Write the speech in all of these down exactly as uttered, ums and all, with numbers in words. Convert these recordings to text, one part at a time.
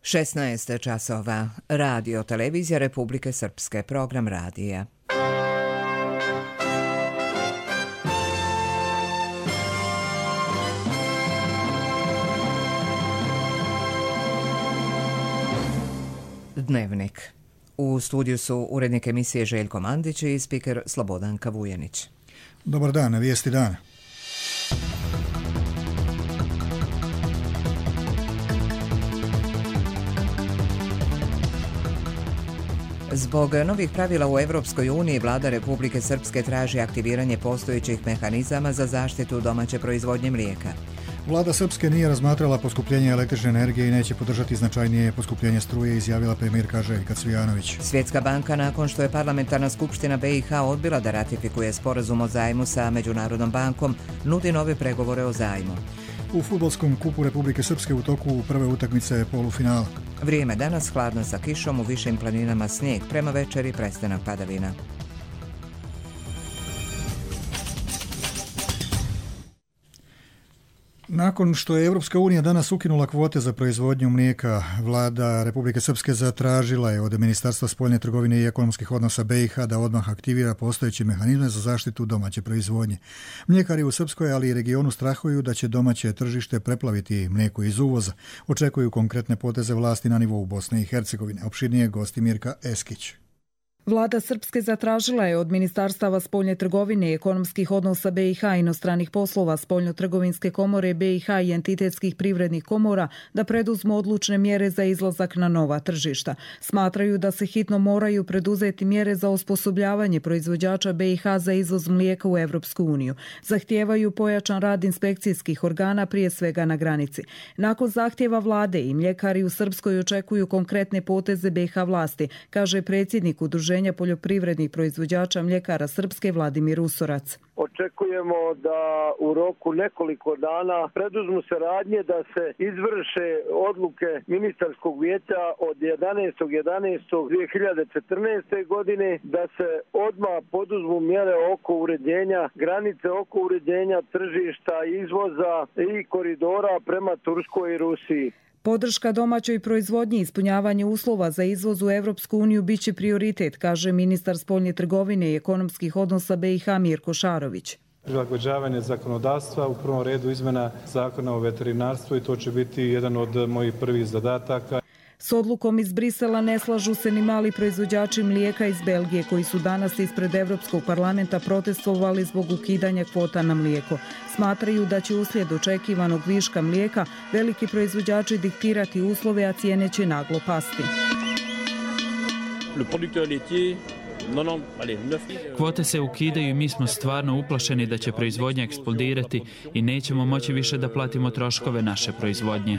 šesnaest časova. Radio Televizija Republike Srpske. Program radija. Dnevnik. U studiju su urednik emisije Željko Mandić i spiker Slobodanka Vujanić. Dobar dan, na vijesti dana. Zbog novih pravila u Evropskoj uniji, vlada Republike Srpske traži aktiviranje postojećih mehanizama za zaštitu domaće proizvodnje mlijeka. Vlada Srpske nije razmatrala poskupljenje električne energije i neće podržati značajnije poskupljenje struje, izjavila premijerka Željka Cvijanović. Svjetska banka, nakon što je parlamentarna skupština B i H odbila da ratifikuje sporazum o zajmu sa Međunarodnom bankom, nudi nove pregovore o zajmu. U fudbalskom kupu Republike Srpske u toku prve utakmice polufinala. Vrijeme danas hladno sa kišom, u višim planinama snijeg, prema večeri prestanak padavina. Nakon što je Evropska unija danas ukinula kvote za proizvodnju mlijeka, vlada Republike Srpske zatražila je od Ministarstva spoljne trgovine i ekonomskih odnosa B i H da odmah aktivira postojeće mehanizme za zaštitu domaće proizvodnje. Mljekari u Srpskoj, ali i regionu strahuju da će domaće tržište preplaviti mlijeko iz uvoza. Očekuju konkretne poteze vlasti na nivou Bosne i Hercegovine. Opširnije gosti Mirka Eskić. Vlada Srpske zatražila je od Ministarstava spoljne trgovine i ekonomskih odnosa B i H, inostranih poslova, spoljno-trgovinske komore B i H i entitetskih privrednih komora da preduzmu odlučne mjere za izlazak na nova tržišta. Smatraju da se hitno moraju preduzeti mjere za osposobljavanje proizvođača B i H za izvoz mlijeka u Evropsku uniju. Zahtijevaju pojačan rad inspekcijskih organa, prije svega na granici. Nakon zahtjeva vlade i mljekari u Srpskoj očekuju konkretne poteze B i H vlasti, kaže predsjednik Udruženja poljoprivrednih proizvođača mljekara Srpske Vladimir Usorac. Očekujemo da u roku nekoliko dana preduzmu se radnje da se izvrše odluke ministarskog vijeća od jedanaestog jedanaestog dvije hiljade četrnaeste. godine, da se odmah poduzmu mjere oko uređenja granice, oko uređenja tržišta, izvoza i koridora prema Turskoj i Rusiji. Podrška domaćoj proizvodnji i ispunjavanje uslova za izvoz u Evropsku uniju biće prioritet, kaže ministar spoljne trgovine i ekonomskih odnosa B i H Mirko Šarović. Prilagođavanje zakonodavstva, u prvom redu izmjena zakona o veterinarstvu, i to će biti jedan od mojih prvih zadataka. S odlukom iz Brisela ne slažu se ni mali proizvođači mlijeka iz Belgije, koji su danas ispred Evropskog parlamenta protestovali zbog ukidanja kvota na mlijeko. Smatraju da će uslijed očekivanog viška mlijeka veliki proizvođači diktirati uslove, a cijene će naglo pasti. Kvote se ukidaju i mi smo stvarno uplašeni da će proizvodnja eksplodirati i nećemo moći više da platimo troškove naše proizvodnje.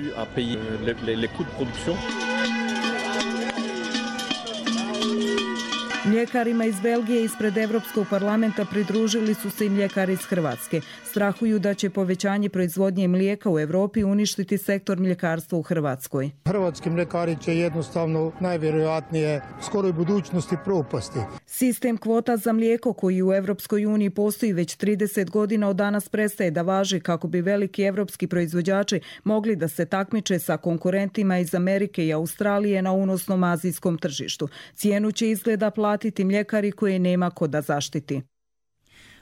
Mljekarima iz Belgije ispred Evropskog parlamenta pridružili su se i mljekari iz Hrvatske. Strahuju da će povećanje proizvodnje mlijeka u Evropi uništiti sektor mljekarstva u Hrvatskoj. Hrvatski mljekari će jednostavno najvjerojatnije skoroj budućnosti propasti. Sistem kvota za mlijeko koji u Evropskoj uniji postoji već trideset godina od danas prestaje da važi kako bi veliki evropski proizvođači mogli da se takmiče sa konkurentima iz Amerike i Australije na unosnom azijskom tržištu. Cijenu će izgleda platiti mljekari koje nema ko da zaštiti.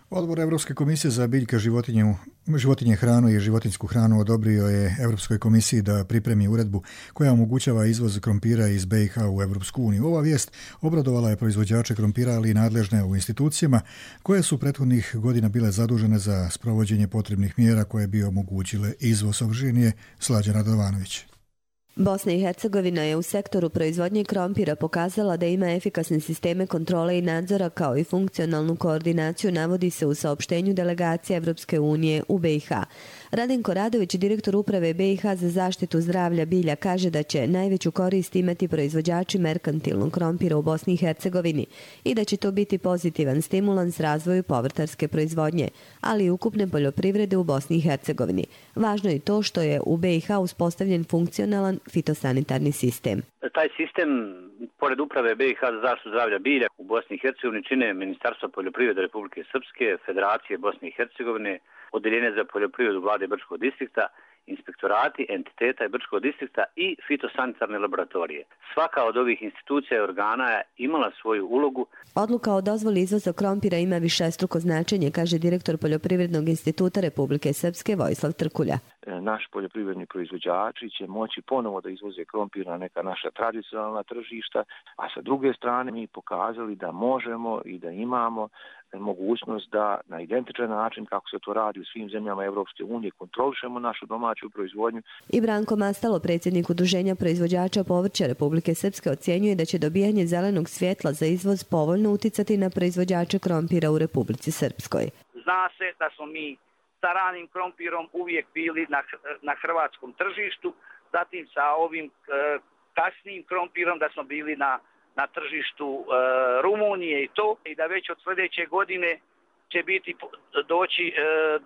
Odbor Evropske komisije za biljke, životinje, životinje hranu i životinjsku hranu odobrio je Evropskoj komisiji da pripremi uredbu koja omogućava izvoz krompira iz B i H u Evropsku uniju. Ova vijest obradovala je proizvođače krompira, ali i nadležne u institucijama koje su prethodnih godina bile zadužene za sprovođenje potrebnih mjera koje bi omogućile izvoz. Opširnije Slađana Radovanović. Bosna i Hercegovina je u sektoru proizvodnje krompira pokazala da ima efikasne sisteme kontrole i nadzora kao i funkcionalnu koordinaciju, navodi se u saopštenju delegacije Evropske unije u B i H. Radenko Radović, direktor uprave B i H za zaštitu zdravlja bilja, kaže da će najveću korist imati proizvođači merkantilnog krompira u Bosni i Hercegovini i da će to biti pozitivan stimulans razvoju povrtarske proizvodnje, ali i ukupne poljoprivrede u Bosni i Hercegovini. Važno je to što je u B i H uspostavljen funkcionalan fitosanitarni sistem. Taj sistem, pored uprave B i H za zaštitu zdravlja bilja u Bosni i Hercegovini, čine Ministarstvo poljoprivrede Republike Srpske, Federacije Bosne i Hercegovine, Odeljenje za poljoprivredu vlade Brčkog distrikta, inspektorati, entiteta i Brčkog distrikta i fitosanitarne laboratorije. Svaka od ovih institucija i organa je imala svoju ulogu. Odluka o dozvoli izvoza krompira ima višestruko značenje, kaže direktor Poljoprivrednog instituta Republike Srpske Vojislav Trkulja. Naši poljoprivredni proizvođači će moći ponovo da izvoze krompir na neka naša tradicionalna tržišta, a sa druge strane mi pokazali da možemo i da imamo mogućnost da na identičan način kako se to radi u svim zemljama Evropske unije kontrolišemo našu domaću proizvodnju. I Branko Mastalo, predsjednik Udruženja proizvođača povrća Republike Srpske, ocjenjuje da će dobijanje zelenog svjetla za izvoz povoljno uticati na proizvođače krompira u Republici Srpskoj. Zna se da smo mi sa ranim krompirom uvijek bili na, na hrvatskom tržištu, zatim sa ovim e, kasnijim krompirom da smo bili na, na tržištu e, Rumunije i to, i da već od sljedeće godine će biti doći e,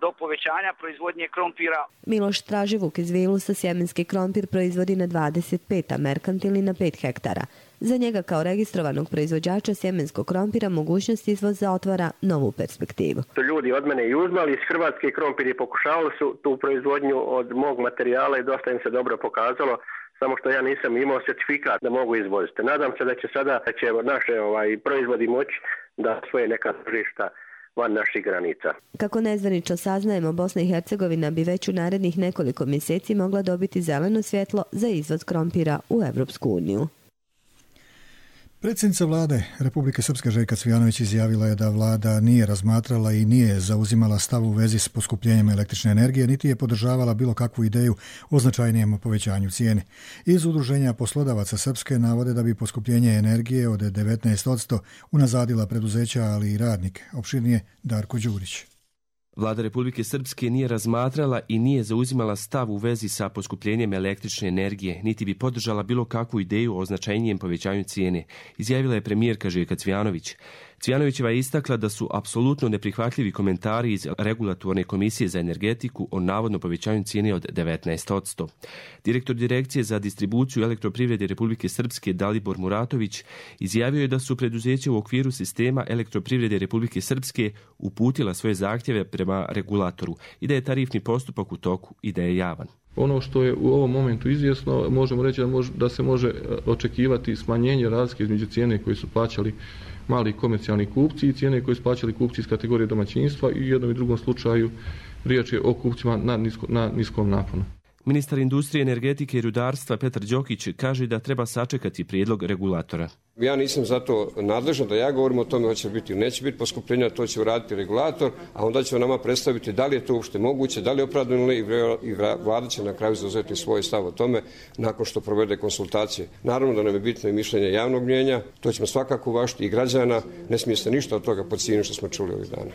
do povećanja proizvodnje krompira. Miloš Straživuk iz Vilusa sjemenski krompir proizvodi na dvadeset pet, a merkantilni na pet hektara. Za njega kao registrovanog proizvođača sjemenskog krompira mogućnost izvoza otvara novu perspektivu. Ljudi od mene i uzmali iz Hrvatske krompir i pokušavali su tu proizvodnju od mog materijala i dosta im se dobro pokazalo, samo što ja nisam imao certifikat da mogu izvoziti. Nadam se da će sada da će naše ovaj, proizvodi moći da svoje neka tržišta van naših granica. Kako nezvanično saznajemo, Bosna i Hercegovina bi već u narednih nekoliko mjeseci mogla dobiti zeleno svjetlo za izvoz krompira u Evropsku uniju. Predsjednica vlade Republike Srpske Željka Cvijanović izjavila je da vlada nije razmatrala i nije zauzimala stav u vezi s poskupljenjem električne energije, niti je podržavala bilo kakvu ideju o značajnijem povećanju cijene. Iz Udruženja poslodavaca Srpske navode da bi poskupljenje energije od devetnaest posto unazadila preduzeća, ali i radnike. Opširnije Darko Đurić. Vlada Republike Srpske nije razmatrala i nije zauzimala stav u vezi sa poskupljenjem električne energije, niti bi podržala bilo kakvu ideju o značajnijem povećanju cijene, izjavila je premijerka Željka Cvijanović. Cvijanovićeva je istakla da su apsolutno neprihvatljivi komentari iz Regulatorne komisije za energetiku o navodno povećanju cijene od devetnaest posto. Direktor Direkcije za distribuciju elektroprivrede Republike Srpske Dalibor Muratović izjavio je da su preduzeća u okviru sistema elektroprivrede Republike Srpske uputila svoje zahtjeve prema regulatoru i da je tarifni postupak u toku i da je javan. Ono što je u ovom momentu izvjesno, možemo reći da, može, da se može očekivati smanjenje razlike između cijene koje su plaćali mali komercijalni kupci i cijene koje su plaćali kupci iz kategorije domaćinstva i u jednom i drugom slučaju riječ je o kupcima na, nisko, na niskom naponu. Ministar industrije, energetike i rudarstva Petar Đokić kaže da treba sačekati prijedlog regulatora. Ja nisam zato nadležan da ja govorim o tome hoće biti ili neće biti poskupljenja, to će uraditi regulator, a onda će nama predstaviti da li je to uopšte moguće, da li je opravdano i vlada će na kraju zauzeti svoj stav o tome nakon što provede konsultacije. Naravno da nam je bitno i mišljenje javnog mnijenja, to ćemo svakako uvažiti i građana, ne smije se ništa od toga podcijeniti što smo čuli ovih dana.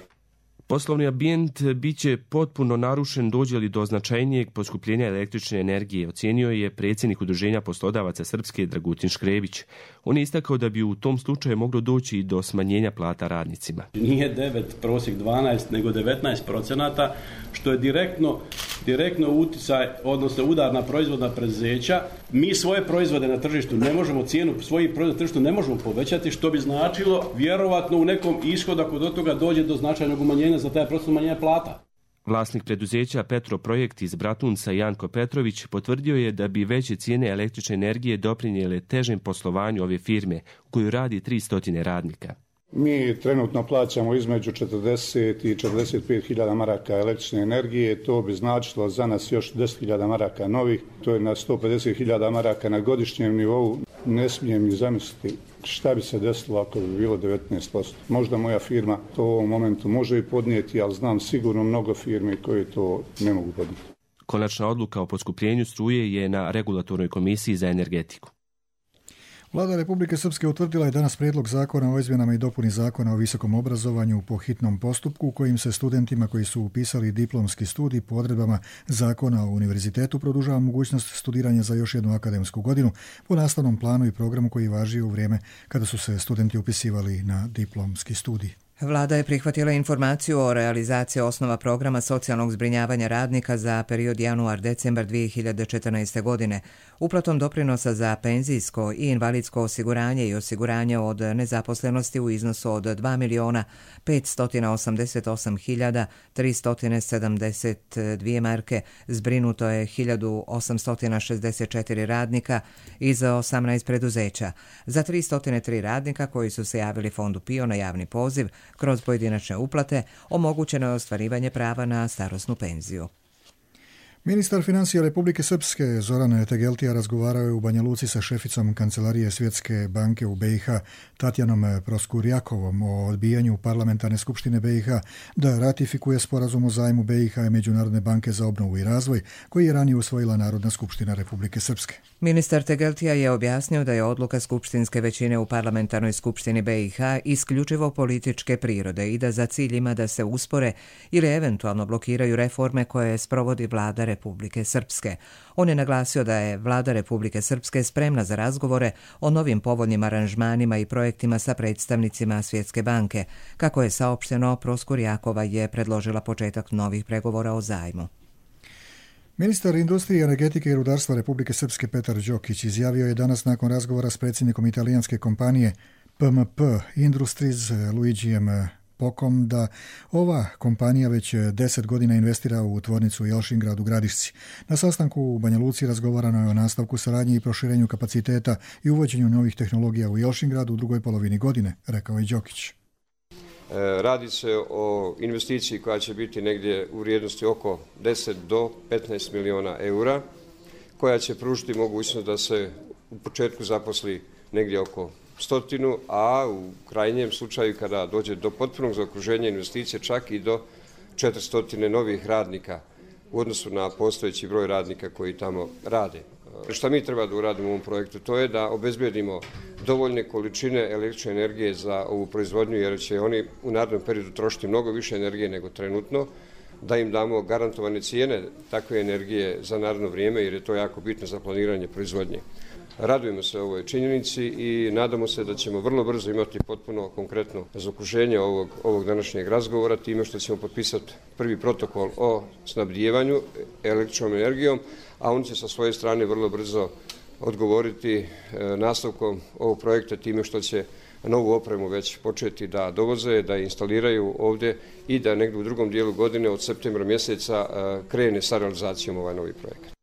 Poslovni ambijent bit će potpuno narušen dođe li do značajnijeg poskupljenja električne energije, ocijenio je predsjednik Udruženja poslodavaca Srpske Dragutin Škrebić. On je istakao da bi u tom slučaju moglo doći i do smanjenja plata radnicima. Nije devet, prosjek dvanaest, nego devetnaest procenata, što je direktno, direktno uticaj, odnosno udar na proizvodna preduzeća. Mi svoje proizvode na tržištu ne možemo, cijenu svojih proizvoda na tržištu ne možemo povećati, što bi značilo vjerovatno u nekom ishodu ako do toga dođe do značajnog umanjenja za taj proces umanjenja plata. Vlasnik preduzeća Petroprojekt iz Bratunca Janko Petrović potvrdio je da bi veće cijene električne energije doprinijele težem poslovanju ove firme u kojoj radi tristo radnika. Mi trenutno plaćamo između četrdeset i četrdeset pet hiljada maraka električne energije, to bi značilo za nas još deset hiljada maraka novih, to je na sto pedeset hiljada maraka na godišnjem nivou. Ne smijem ni zamisliti šta bi se desilo ako bi bilo devetnaest posto. Možda moja firma to u ovom momentu može i podnijeti, ali znam sigurno mnogo firme koje to ne mogu podnijeti. Konačna odluka o poskupljenju struje je na Regulatornoj komisiji za energetiku. Vlada Republike Srpske utvrdila je danas prijedlog zakona o izmjenama i dopuni zakona o visokom obrazovanju po hitnom postupku, kojim se studentima koji su upisali diplomski studij po odredbama zakona o univerzitetu produžava mogućnost studiranja za još jednu akademsku godinu po nastavnom planu i programu koji važi u vrijeme kada su se studenti upisivali na diplomski studij. Vlada je prihvatila informaciju o realizaciji osnova programa socijalnog zbrinjavanja radnika za period januar-decembar dvije hiljade četrnaeste. godine. Uplatom doprinosa za penzijsko i invalidsko osiguranje i osiguranje od nezaposlenosti u iznosu od dva miliona petsto osamdeset osam hiljada tristo sedamdeset dvije marke zbrinuto je hiljadu osamsto šezdeset četiri radnika iz osamnaest preduzeća. Za tristo tri radnika koji su se javili fondu P I O na javni poziv kroz pojedinačne uplate omogućeno je ostvarivanje prava na starosnu penziju. Ministar financija Republike Srpske Zoran Tegeltija razgovarao je u Banja Luci sa šeficom Kancelarije Svjetske banke u B i H Tatjanom Proskurjakovom o odbijanju parlamentarne skupštine B i H da ratifikuje sporazum o zajmu B i H i Međunarodne banke za obnovu i razvoj koji je ranije usvojila Narodna skupština Republike Srpske. Ministar Tegeltija je objasnio da je odluka skupštinske većine u parlamentarnoj skupštini B i H isključivo političke prirode i da za cilj ima da se uspore ili eventualno blokiraju reforme koje sprovodi vlada Republike Srpske. On je naglasio da je vlada Republike Srpske spremna za razgovore o novim povoljnim aranžmanima i projektima sa predstavnicima Svjetske banke. Kako je saopšteno, Proskurjakova je predložila početak novih pregovora o zajmu. Ministar industrije, energetike i rudarstva Republike Srpske Petar Đokić izjavio je danas nakon razgovora s predsjednikom italijanske kompanije P M P Industries Luigijem Pokom da ova kompanija već deset godina investira u tvornicu u Jelšingrad u Gradišci. Na sastanku u Banja Luci razgovarano je o nastavku saradnje i proširenju kapaciteta i uvođenju novih tehnologija u Jelšingradu u drugoj polovini godine, rekao je Đokić. Radi se o investiciji koja će biti negdje u vrijednosti oko deset do petnaest miliona eura, koja će pružiti mogućnost da se u početku zaposli negdje oko stotinu, a u krajnjem slučaju kada dođe do potpunog zaokruženja investicije čak i do četiristo novih radnika u odnosu na postojeći broj radnika koji tamo rade. Šta mi treba da uradimo u ovom projektu? To je da obezbedimo dovoljne količine električne energije za ovu proizvodnju, jer će oni u narednom periodu trošiti mnogo više energije nego trenutno, da im damo garantovane cijene takve energije za naredno vrijeme, jer je to jako bitno za planiranje proizvodnje. Radujemo se ovoj činjenici i nadamo se da ćemo vrlo brzo imati potpuno konkretno zaokruženje ovog, ovog današnjeg razgovora time što ćemo potpisati prvi protokol o snabdijevanju električnom energijom, a on će sa svoje strane vrlo brzo odgovoriti nastavkom ovog projekta time što će novu opremu već početi da dovoze, da instaliraju ovdje i da negdje u drugom dijelu godine od septembra mjeseca krene sa realizacijom ovaj novi projekat.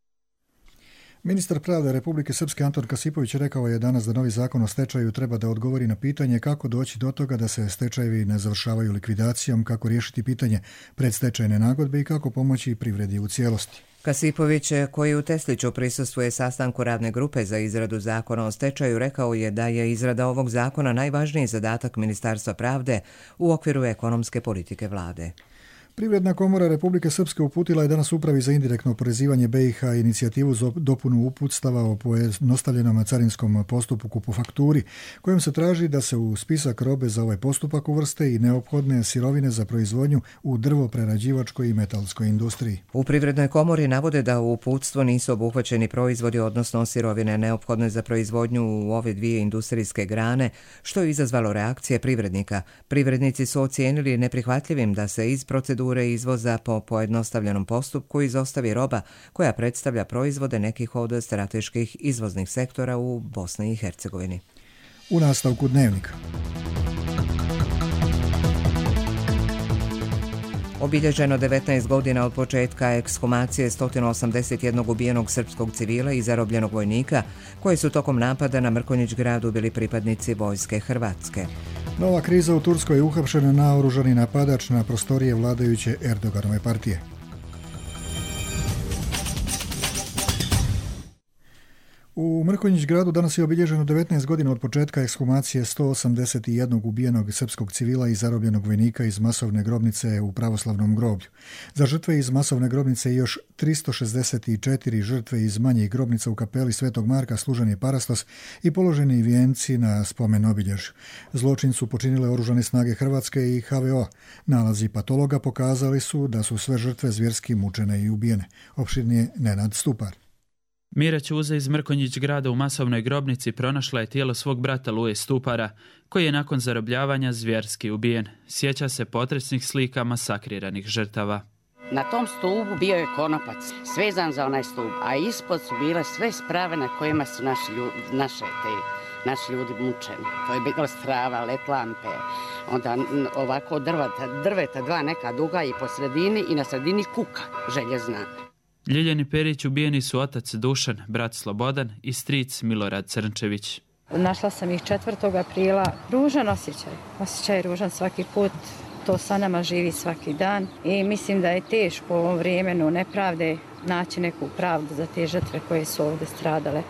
Ministar pravde Republike Srpske Anton Kasipović rekao je danas da novi zakon o stečaju treba da odgovori na pitanje kako doći do toga da se stečajevi ne završavaju likvidacijom, kako riješiti pitanje predstečajne nagodbe i kako pomoći privredi u cijelosti. Kasipović, koji u Tesliću prisustvuje sastanku radne grupe za izradu zakona o stečaju, rekao je da je izrada ovog zakona najvažniji zadatak Ministarstva pravde u okviru ekonomske politike vlade. Privredna komora Republike Srpske uputila je danas upravi za indirektno oporezivanje B i H inicijativu za dopunu uputstava o pojednostavljenom carinskom postupku po fakturi, kojom se traži da se u spisak robe za ovaj postupak uvrste i neophodne sirovine za proizvodnju u drvoprerađivačkoj i metalskoj industriji. U Privrednoj komori navode da u uputstvo nisu obuhvaćeni proizvodi, odnosno sirovine neophodne za proizvodnju u ove dvije industrijske grane, što je izazvalo reakcije privrednika. Privrednici su ocijenili neprihvatljivim da se iz procedure izvoza po pojednostavljenom postupku izostavi roba koja predstavlja proizvode nekih od strateških izvoznih sektora u Bosni i Hercegovini. U nastavku dnevnika. Obilježeno devetnaest godina od početka ekshumacije sto osamdeset jedan ubijenog srpskog civila i zarobljenog vojnika, koji su tokom napada na Mrkonjić gradu bili pripadnici vojske Hrvatske. Nova kriza u Turskoj je uhapšen naoružani napadač na prostorije vladajuće Erdoganove partije. U Mrkonjić gradu danas je obilježeno devetnaest godina od početka ekshumacije sto osamdeset jedan ubijenog srpskog civila i zarobljenog vojnika iz masovne grobnice u pravoslavnom groblju. Za žrtve iz masovne grobnice i još tristo šezdeset četiri žrtve iz manjih grobnica u kapeli Svetog Marka služen je parastos i položeni vijenci na spomen obilježju. Zločin su počinile oružane snage Hrvatske i H V O. Nalazi patologa pokazali su da su sve žrtve zvjerski mučene i ubijene. Opširnije Nenad Stupar. Mira Ćuza iz Mrkonjić grada u masovnoj grobnici pronašla je tijelo svog brata Luje Stupara, koji je nakon zarobljavanja zvjerski ubijen. Sjeća se potresnih slika masakriranih žrtava. Na tom stubu bio je konopac, svezan za onaj stup, a ispod su bile sve sprave na kojima su naši ljudi, naše te, naši ljudi mučeni. To je bila strava, letlampe, onda ovako drveta, drveta dva neka duga i po sredini i na sredini kuka željezna. Ljiljani Perić ubijeni su otac Dušan, brat Slobodan i stric Milorad Crnčević. Našla sam ih četvrtog aprila. Ružan osjećaj. Osjećaj ružan svaki put. To sa nama živi svaki dan i mislim da je teško u ovom vremenu nepravde naći neku pravdu za te žrtve koje su ovdje stradale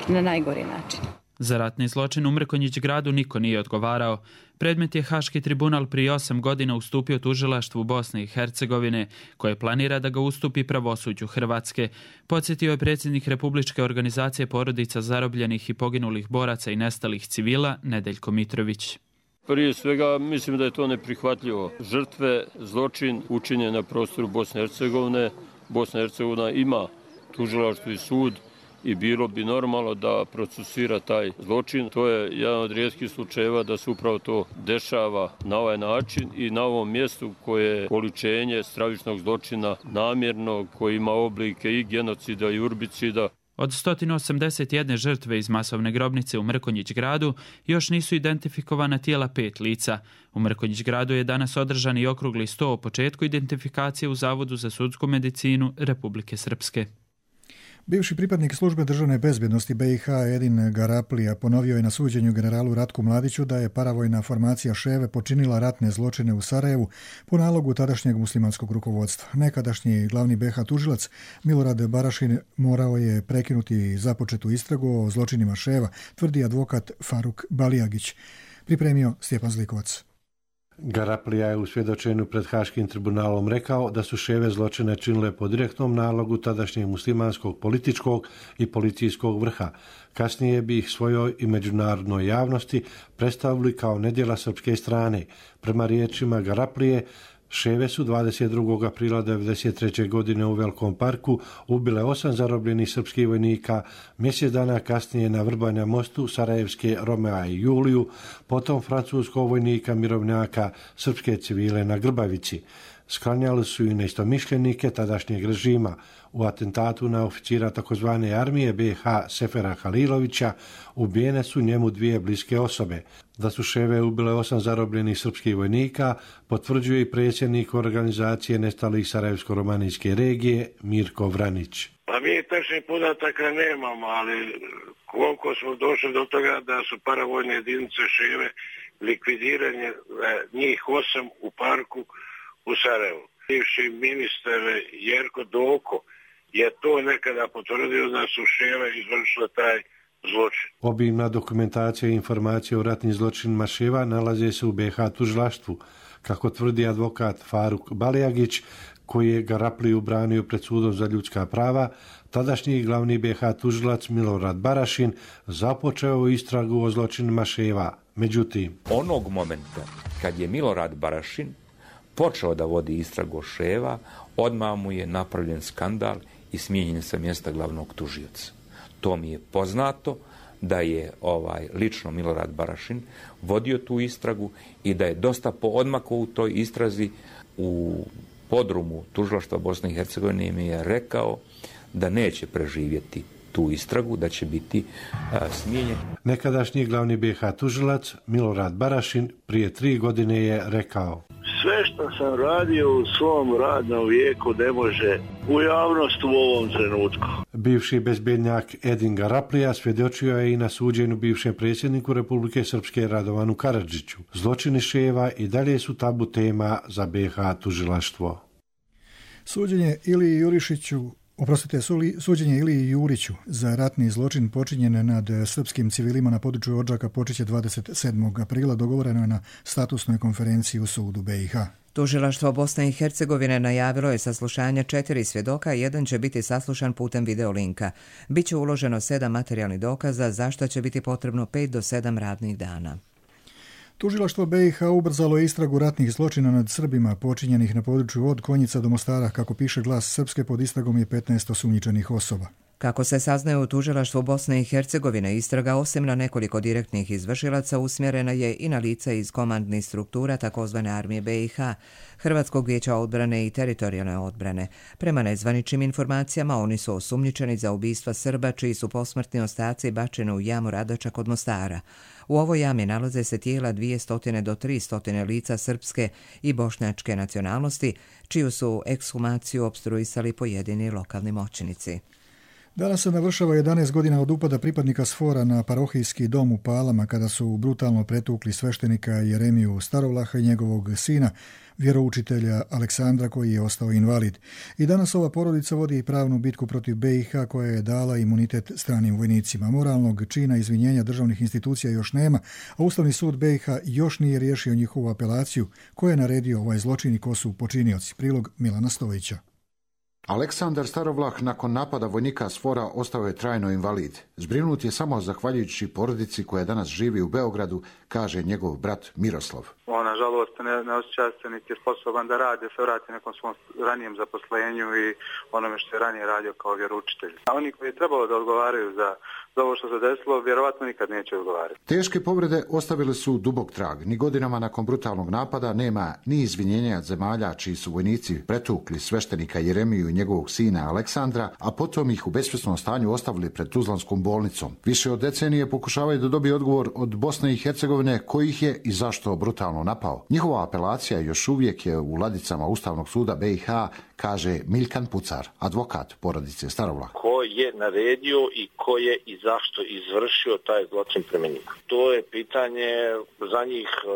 na najgori način. Za ratni zločin u Mrkonjić gradu niko nije odgovarao. Predmet je Haški tribunal prije osam godina ustupio tužilaštvu Bosne i Hercegovine, koje planira da ga ustupi pravosuđu Hrvatske. Podsjetio je predsjednik Republičke organizacije porodica zarobljenih i poginulih boraca i nestalih civila Nedeljko Mitrović. Prije svega mislim da je to neprihvatljivo. Žrtve, zločin učinjen na prostoru Bosne i Hercegovine. Bosna i Hercegovina ima tužilaštvo i sud i bilo bi normalno da procesira taj zločin. To je jedan od rijetkih slučajeva da se upravo to dešava na ovaj način i na ovom mjestu koje je oličenje stravičnog zločina namjernog, koji ima oblike i genocida i urbicida. Od sto osamdeset jedne žrtve iz masovne grobnice u Mrkonjić gradu još nisu identifikovana tijela pet lica. U Mrkonjić gradu je danas održan i okrugli sto o početku identifikacije u Zavodu za sudsku medicinu Republike Srpske. Bivši pripadnik službe državne bezbjednosti B i H Edin Garaplija ponovio je na suđenju generalu Ratku Mladiću da je paravojna formacija Ševe počinila ratne zločine u Sarajevu po nalogu tadašnjeg muslimanskog rukovodstva. Nekadašnji glavni B i H tužilac Milorad Barašin morao je prekinuti započetu istragu o zločinima Ševa, tvrdi advokat Faruk Balijagić. Pripremio Stjepan Zlikovac. Garaplija je u svjedočenju pred Haškim tribunalom rekao da su Ševe zločine činile po direktnom nalogu tadašnjeg muslimanskog političkog i policijskog vrha. Kasnije bi ih svojoj i međunarodnoj javnosti predstavili kao nedjela srpske strane. Prema riječima Garaplije, Ševe su dvadeset drugog aprila devedeset treće godine u Velikom parku ubile osam zarobljenih srpskih vojnika, mjesec dana kasnije na Vrbanja mostu Sarajevske Romea i Juliju, potom francuskog vojnika mirovnjaka, srpske civile na Grbavici. Sklanjali su i neistomišljenike tadašnjeg režima. U atentatu na oficira takozvane armije B i H Sefera Halilovića ubijene su njemu dvije bliske osobe. Da su Ševe ubile osam zarobljenih srpskih vojnika potvrđuje i predsjednik organizacije nestalih Sarajevsko-romanijske regije Mirko Vranić. Pa mi tačnih podataka nemamo, ali koliko smo došli do toga da su paravojne jedinice Ševe likvidiranje njih osam u parku u Sarajevu. Bivši ministar Jerko Doko je to nekada potvrdio da su Ševe izvršile taj zločin. Obimna dokumentacija i informacije o ratnim zločinima Ševa nalaze se u B i H tužilaštvu. Kako tvrdi advokat Faruk Balijagić, koji je Garapliju branio pred sudom za ljudska prava, tadašnji glavni B i H tužilac Milorad Barašin započeo istragu o zločinima Ševa. Međutim, onog momenta kad je Milorad Barašin počeo da vodi istragu o Ševa, odmah mu je napravljen skandal i smijenjen sa mjesta glavnog tužioca. To mi je poznato da je ovaj lično Milorad Barašin vodio tu istragu i da je dosta poodmakao u toj istrazi. U podrumu tužilaštva Bosne i Hercegovine mi je rekao da neće preživjeti tu istragu, da će biti a, smijenjen. Nekadašnji glavni B i H tužilac Milorad Barašin prije tri godine je rekao: sve što sam radio u svom radnom vijeku ne može u javnost u ovom trenutku. Bivši bezbednjak Edin Garaplija svjedočio je i na suđenju bivšem predsjedniku Republike Srpske Radovanu Karadžiću. Zločini Ševa i dalje su tabu tema za B i H tužilaštvo. Suđenje Iliji Jurišiću Oprostite, suđenje Iliji Juriću za ratni zločin počinjen nad srpskim civilima na području Odžaka počeće dvadeset sedmog aprila, dogovoreno je na statusnoj konferenciji u sudu B i H. Tužilaštvo Bosne i Hercegovine najavilo je saslušanje četiri svjedoka, jedan će biti saslušan putem videolinka. Biće uloženo sedam materijalnih dokaza, za što će biti potrebno pet do sedam radnih dana. Tužilaštvo B i H ubrzalo je istragu ratnih zločina nad Srbima počinjenih na području od Konjica do Mostara. Kako piše Glas Srpske, pod istragom je petnaest osumnjičenih osoba. Kako se saznaje u tužilaštvu Bosne i Hercegovine, istraga osim na nekoliko direktnih izvršilaca usmjerena je i na lica iz komandnih struktura takozvane armije be i ha, Hrvatskog vijeća odbrane i teritorijalne odbrane. Prema nezvaničnim informacijama, oni su osumnjičeni za ubistva Srba čiji su posmrtni ostaci bačeni u jamu Radoča kod Mostara. U ovoj jami nalaze se tijela dvjesto do tristo lica srpske i bošnjačke nacionalnosti, čiju su ekshumaciju opstruisali pojedini lokalni moćnici. Danas se navršava jedanaest godina od upada pripadnika SFOR-a na parohijski dom u Palama kada su brutalno pretukli sveštenika Jeremiju Starovlaha i njegovog sina, vjeroučitelja Aleksandra koji je ostao invalid. I danas ova porodica vodi i pravnu bitku protiv be i ha koja je dala imunitet stranim vojnicima. Moralnog čina izvinjenja državnih institucija još nema, a Ustavni sud be i ha još nije riješio njihovu apelaciju koja je naredio ovaj zločin i ko su počinioci. Prilog Milana Stojića. Aleksandar Starovlah nakon napada vojnika SFOR-a ostao je trajno invalid. Zbrinut je samo zahvaljujući porodici koja danas živi u Beogradu, kaže njegov brat Miroslav. On, nažalost, ne, ne osjeća se niti je sposoban da radi, se vrati nekom svom ranijem zaposlenju i onome što je ranije radio kao vjeroučitelj. A oni koji je trebalo da odgovaraju za, za ovo što se desilo, vjerovatno nikad neće odgovarati. Teške povrede ostavile su dubok trag. Ni godinama nakon brutalnog napada nema ni izvinjenja zemalja čiji su vojnici pretukli sveštenika Jeremiju i njegovog sina Aleksandra, a potom ih u besvjesnom stanju ostavili pred Tuzlanskom bolnicom. Više od decenije pokušavaju da dobiju odgovor od Bosne i Hercegovine koji ih je i zašto brutalno napao. Njihova apelacija još uvijek je u ladicama Ustavnog suda be i ha, kaže Milkan Pucar, advokat porodice Starovlah. Ko je naredio i ko je i zašto izvršio taj zločin prema njih? To je pitanje za njih e,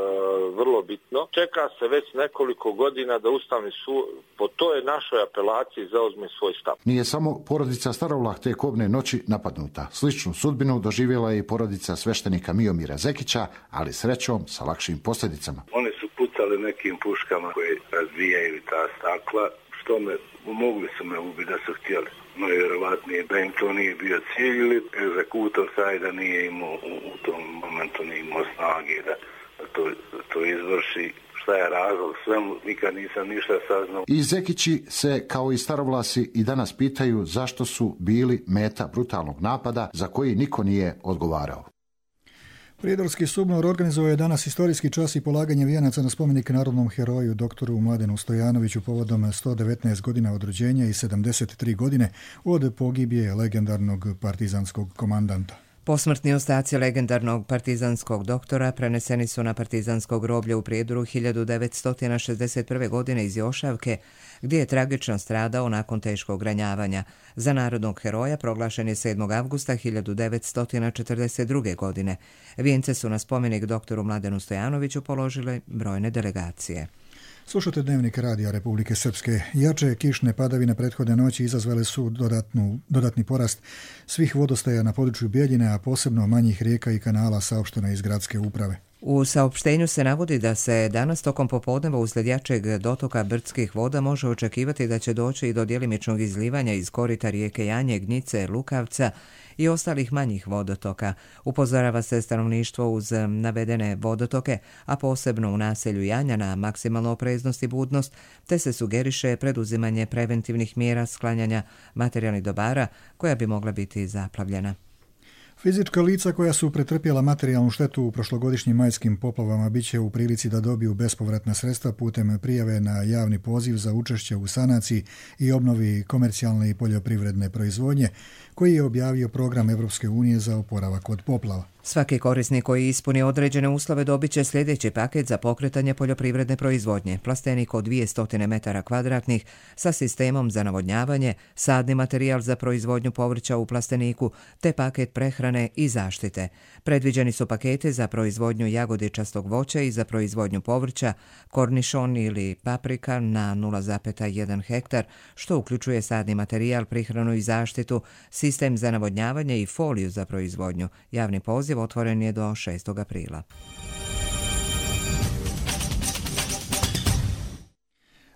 vrlo bitno. Čeka se već nekoliko godina da Ustavni sud po toj našoj apelaciji zauzme svoj stav. Nije samo porodica Starovlah te kobne noći napadnuta. Sličnu sudbinu doživjela je i porodica sveštenika Miomira Zekića, ali srećom sa lakšim posljedicama. Oni su pucali nekim puškama koje razbijaju ta stakla, što me, mogli su me ubiti da su htjeli. No vjerovatnije da im to nije bio cilj ili egzekutor sajda nije imao u, u tom momentu nije imao snage da, da, to, da to izvrši. Šta je razlog svemu, nikad nisam ništa saznao. I Zekići se, kao i Starovlasi, i danas pitaju zašto su bili meta brutalnog napada za koji niko nije odgovarao. Prijedorski SUBNOR organizuje je danas historijski čas i polaganje vijenaca na spomenik narodnom heroju doktoru Mladenu Stojanoviću povodom sto devetnaest godina od rođenja i sedamdeset tri godine od pogibije legendarnog partizanskog komandanta. Posmrtni ostaci legendarnog partizanskog doktora preneseni su na partizansko groblje u Prijedoru hiljadu devetsto šezdeset prve. godine iz Jošavke, gdje je tragično stradao nakon teškog ranjavanja. Za narodnog heroja proglašen je sedmog avgusta hiljadu devetsto četrdeset druge. godine. Vijence su na spomenik doktoru Mladenu Stojanoviću položile brojne delegacije. Slušate Dnevnik radija Republike Srpske. Jače kišne padavine prethodne noći izazvale su dodatnu, dodatni porast svih vodostaja na području Bijeljine, a posebno manjih rijeka i kanala, saopšteno iz gradske uprave. U saopštenju se navodi da se danas tokom popodneva uslijed jačeg dotoka brdskih voda može očekivati da će doći i do djelimičnog izlivanja iz korita rijeke Janje, Gnjice, Lukavca i ostalih manjih vodotoka. Upozorava se stanovništvo uz navedene vodotoke, a posebno u naselju Janja na maksimalnu opreznost i budnost, te se sugeriše preduzimanje preventivnih mjera sklanjanja materijalnih dobara koja bi mogla biti zaplavljena. Fizička lica koja su pretrpjela materijalnu štetu u prošlogodišnjim majskim poplavama bit će u prilici da dobiju bespovratna sredstva putem prijave na javni poziv za učešće u sanaciji i obnovi komercijalne i poljoprivredne proizvodnje, koji je objavio program Evropske unije za oporavak od poplava. Svaki korisnik koji ispuni određene uslove dobit će sljedeći paket za pokretanje poljoprivredne proizvodnje. Plastenik od dvjesto metara kvadratnih sa sistemom za navodnjavanje, sadni materijal za proizvodnju povrća u plasteniku, te paket prehrane i zaštite. Predviđeni su pakete za proizvodnju jagodičastog voća i za proizvodnju povrća, kornišon ili paprika na nula zarez jedan hektar, što uključuje sadni materijal, prihranu i zaštitu, sistem za navodnjavanje i foliju za proizvodnju. Javni poziv otvoren je do šestog aprila.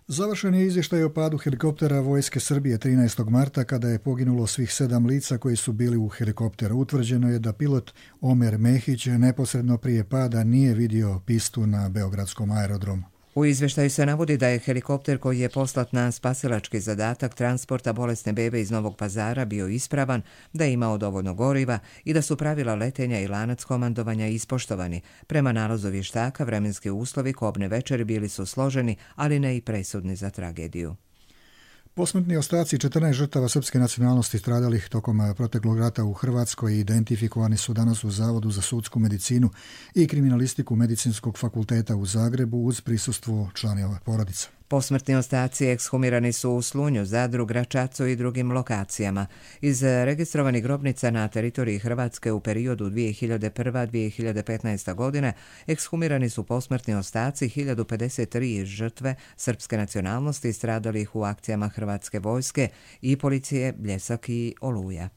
Završen je izvještaj o padu helikoptera Vojske Srbije trinaestog marta kada je poginulo svih sedam lica koji su bili u helikopteru. Utvrđeno je da pilot Omer Mehić neposredno prije pada nije vidio pistu na beogradskom aerodromu. U izveštaju se navodi da je helikopter koji je poslat na spasilački zadatak transporta bolesne bebe iz Novog Pazara bio ispravan, da je imao dovoljno goriva i da su pravila letenja i lanac komandovanja ispoštovani. Prema nalazu vještaka, vremenski uslovi kobne večeri bili su složeni, ali ne i presudni za tragediju. Posmrtni ostaci četrnaest žrtava srpske nacionalnosti stradalih tokom proteklog rata u Hrvatskoj identifikovani su danas u Zavodu za sudsku medicinu i kriminalistiku Medicinskog fakulteta u Zagrebu uz prisustvo članova porodica. Posmrtni ostaci ekshumirani su u Slunju, Zadru, Gračacu i drugim lokacijama. Iz registrovanih grobnica na teritoriji Hrvatske u periodu dvije hiljade prva do dvije hiljade petnaesta godine ekshumirani su posmrtni ostaci hiljadu pedeset tri žrtve srpske nacionalnosti stradalih u akcijama Hrvatske vojske i policije Bljesak i Oluja.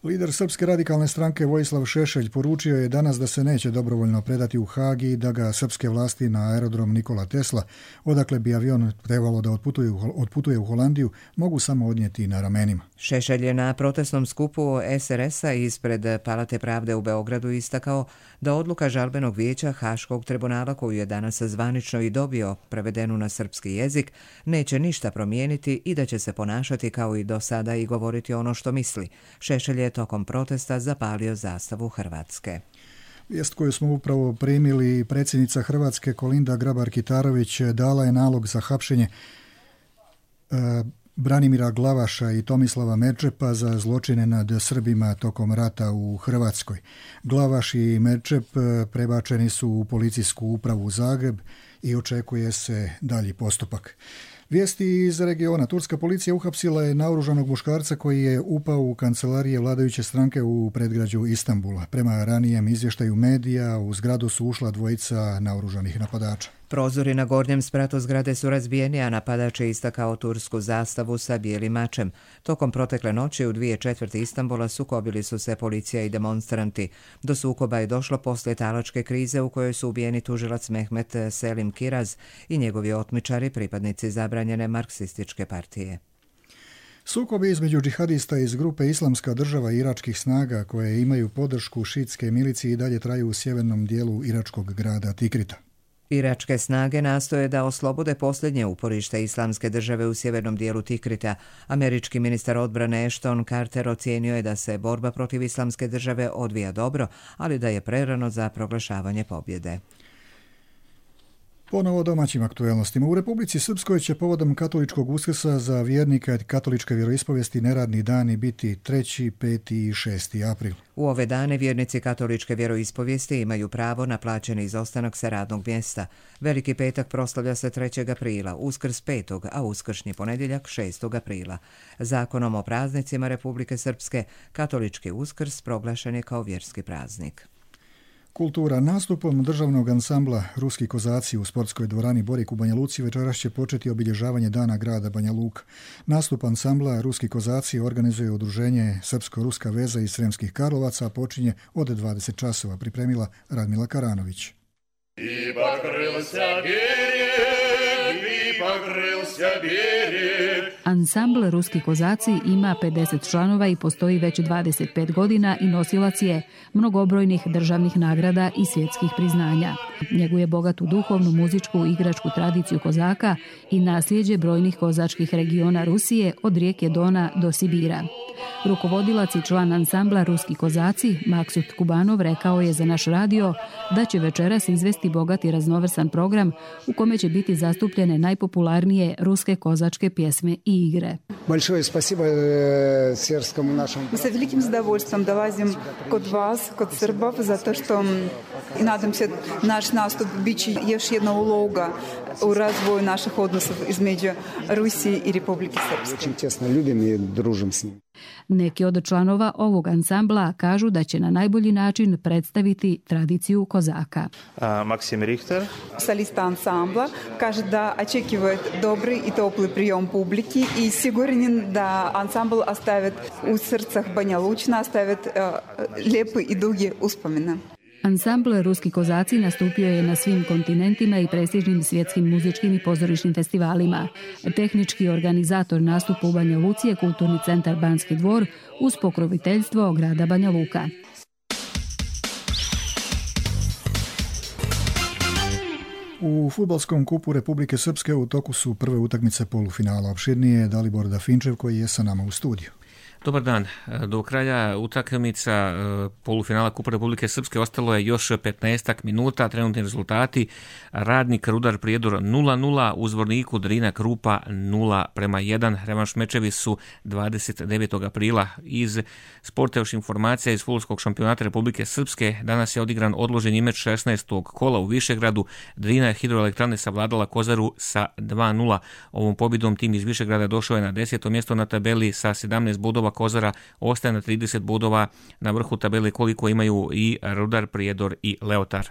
Lider Srpske radikalne stranke Vojislav Šešelj poručio je danas da se neće dobrovoljno predati u Haag i da ga srpske vlasti na aerodrom Nikola Tesla, odakle bi avion trebalo da otputuje, otputuje u Holandiju, mogu samo odnijeti na ramenima. Šešelj je na protestnom skupu S R S-a ispred Palate pravde u Beogradu istakao da odluka žalbenog vijeća Haškog tribunala, koju je danas zvanično i dobio prevedenu na srpski jezik, neće ništa promijeniti i da će se ponašati kao i do sada i govoriti ono što misli. Šešelj je tokom protesta zapalio zastavu Hrvatske. Vijest koju smo upravo primili, predsjednica Hrvatske Kolinda Grabar-Kitarović dala je nalog za hapšenje e, Branimira Glavaša i Tomislava Merčepa za zločine nad Srbima tokom rata u Hrvatskoj. Glavaš i Merčep prebačeni su u policijsku upravu u Zagreb i očekuje se dalji postupak. Vijesti iz regiona. Turska policija uhapsila je naoružanog muškarca koji je upao u kancelarije vladajuće stranke u predgrađu Istanbula. Prema ranijem izvještaju medija, u zgradu su ušla dvojica naoružanih napadača. Prozori na gornjem spratu zgrade su razbijeni, a napadač je istakao tursku zastavu sa bijelim mačem. Tokom protekle noći u dvije četvrti Istanbula sukobili su se policija i demonstranti. Do sukoba je došlo poslije talačke krize u kojoj su ubijeni tužilac Mehmet Selim Kiraz i njegovi otmičari, pripadnici zabranjene marksističke partije. Sukobi između džihadista iz grupe Islamska država i iračkih snaga koje imaju podršku šitske milicije i dalje traju u sjevernom dijelu iračkog grada Tikrita. Iračke snage nastoje da oslobode posljednje uporište Islamske države u sjevernom dijelu Tikrita. Američki ministar odbrane Ashton Carter ocijenio je da se borba protiv Islamske države odvija dobro, ali da je prerano za proglašavanje pobjede. Ponovo domaćim aktuelnostima. U Republici Srpskoj će povodom katoličkog Uskrsa za vjernike katoličke vjeroispovijesti neradni dani biti treći, peti i šesti april. U ove dane vjernici katoličke vjeroispovijesti imaju pravo na plaćeni izostanak sa radnog mjesta. Veliki petak proslavlja se trećeg aprila, Uskrs petog, a uskršnji ponedjeljak šestog aprila. Zakonom o praznicima Republike Srpske katolički Uskrs proglašen je kao vjerski praznik. Kultura. Nastupom državnog ansambla Ruski kozaci u sportskoj dvorani Borik u Banja Luci večeras će početi obilježavanje Dana grada Banja Luka. Nastup ansambla Ruski kozaci organizuje udruženje Srpsko-Ruska veza iz Sremskih Karlovaca, a počinje od dvadeset časova, pripremila Radmila Karanović. I pokrilся берег, i pokrilся берег. Ansambl Ruski kozaci ima pedeset članova i postoji već dvadeset pet godina i nosilac je mnogobrojnih državnih nagrada i svjetskih priznanja. Njeguje bogatu duhovnu, muzičku i igračku tradiciju kozaka i nasljeđe brojnih kozačkih regiona Rusije od rijeke Dona do Sibira. Rukovodilac i član ansambla Ruski kozaci, Maksut Kubanov, rekao je za naš radio da će večeras izvesti bogat i raznovrsan program u kome će biti zastupljene najpopularnije ruske kozačke pjesme i igre. Большое спасибо сербскому нашему. Мы с великим удовольствием долазим kod vas, kod Srbов, zato što i nadam se naš nastup biće još jedna uloga u razvoju naših odnosa između Rusije i Republike Srpske. Česno ljubim i družim s njim. Neki od članova ovog ansambla kažu da će na najbolji način predstaviti tradiciju kozaka. Maksim Richter, solista ansambla, kaže da očekivает dobri i topli прием publiki i siguran da ansambl ostavit u srcah Banja Lučna, ostavit lijepe i duge uspomene. Ansambl Ruski kozaci nastupio je na svim kontinentima i prestižnim svjetskim muzičkim i pozorišnim festivalima. Tehnički organizator nastupa u Banja Luci je Kulturni centar Banski dvor uz pokroviteljstvo grada Banja Luka. U fudbalskom kupu Republike Srpske u toku su prve utakmice polufinala. Opširnije je Dalibor Dafinčev koji je sa nama u studiju. Dobar dan. Do kraja utakmica polufinala Kupa Republike Srpske ostalo je još petnaestak minuta. Trenutni rezultati: Radnik Rudar Prijedor nula nula, u Zvorniku Drina Krupa nula prema jedan. Revanš mečevi su dvadeset devetog aprila. Iz sporta još informacija iz fudbalskog šampionata Republike Srpske. Danas je odigran odloženi meč šesnaestog kola u Višegradu. Drina Hidroelektrane savladala Kozaru sa dva nula. Ovom pobjedom tim iz Višegrada došao je na deseto mjesto na tabeli sa sedamnaest bodova. Kozara ostaje na trideset bodova na vrhu tabele koliko imaju i Rudar Prijedor i Leotar.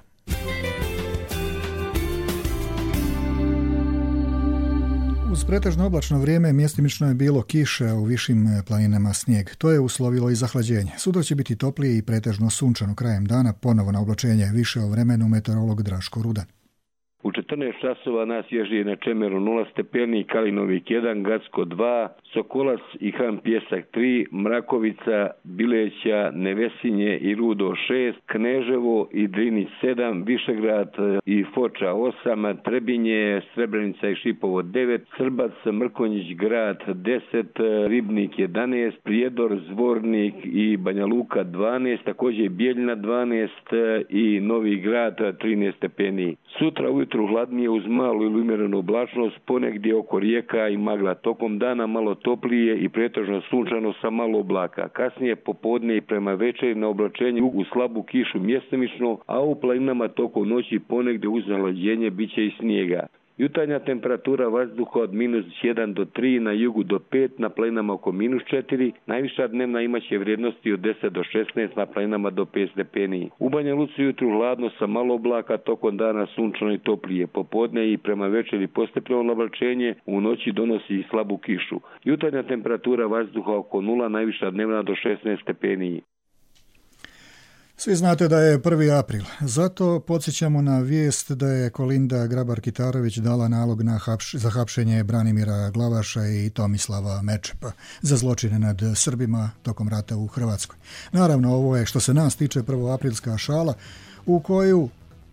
Uz pretežno oblačno vrijeme mjestimično je bilo kiše, a u višim planinama snijeg. To je uslovilo i zahlađenje. Sutra će biti toplije i pretežno sunčano krajem dana, ponovo na oblačenje. Više o vremenu meteorolog Draško Rudan. U četrnaest časova nas ježi na Čemeru nula stepeni, Kalinovik jedan, Gacko dva, Sokolac i Han Pjesak tri, Mrakovica, Bileća, Nevesinje i Rudo šest, Kneževo i Drinić sedam, Višegrad i Foča osam, Trebinje, Srebrenica i Šipovo devet, Srbac, Mrkonjić Grad deset, Ribnik jedanaest, Prijedor, Zvornik i Banja Luka dvanaest, također Bijeljina dvanaest i Novi Grad trinaest stepeni. Sutra ujutru hladnije uz malu ili umjerenu oblačnost, ponegdje oko rijeka i magla. Tokom dana malo toplije i pretežno sunčano sa malo oblaka. Kasnije popodne i prema večeri na oblačenju u slabu kišu mjestimično, a u planinama tokom noći ponegdje uz zahlađenje bit će i snijega. Jutarnja temperatura vazduha od minus jedan do tri, na jugu do pet, na planinama oko minus četiri, najviša dnevna imaće vrijednosti od deset do šesnaest, na planinama do pet stepeni. U Banja Luci jutru hladno sa malo oblaka, tokom dana sunčano i toplije. Popodne i prema večeri postepeno oblačenje, u noći donosi i slabu kišu. Jutarnja temperatura vazduha oko nula, najviša dnevna do šesnaest stepeni. Svi znate da je prvi april, zato podsjećamo na vijest da je Kolinda Grabar-Kitarović dala nalog na hapš, za hapšenje Branimira Glavaša i Tomislava Mečepa za zločine nad Srbima tokom rata u Hrvatskoj. Naravno, ovo je što se nas tiče prvoaprilska šala u koju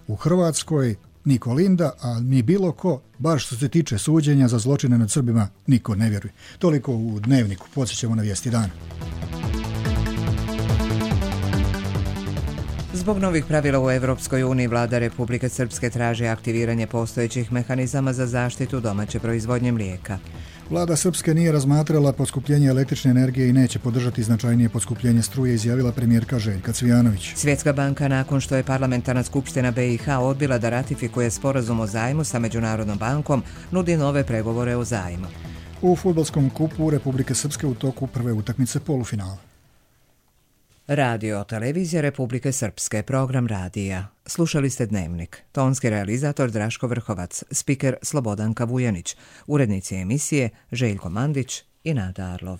u Hrvatskoj ni Kolinda, a ni bilo ko, baš što se tiče suđenja za zločine nad Srbima, niko ne vjeruje. Toliko u Dnevniku, podsjećamo na vijesti dana. Zbog novih pravila u Evropskoj uniji, vlada Republike Srpske traži aktiviranje postojećih mehanizama za zaštitu domaće proizvodnje mlijeka. Vlada Srpske nije razmatrala poskupljenje električne energije i neće podržati značajnije poskupljenje struje, izjavila premijerka Željka Cvijanović. Svjetska banka, nakon što je parlamentarna skupština B i H odbila da ratifikuje sporazum o zajmu sa Međunarodnom bankom, nudi nove pregovore o zajmu. U fudbalskom kupu Republike Srpske u toku prve utakmice polufinala. Radio televizija Republike Srpske, program radija. Slušali ste Dnevnik. Tonski realizator Draško Vrhovac, spiker Slobodanka Vujanić, urednici emisije Željko Mandić i Nada Arlov.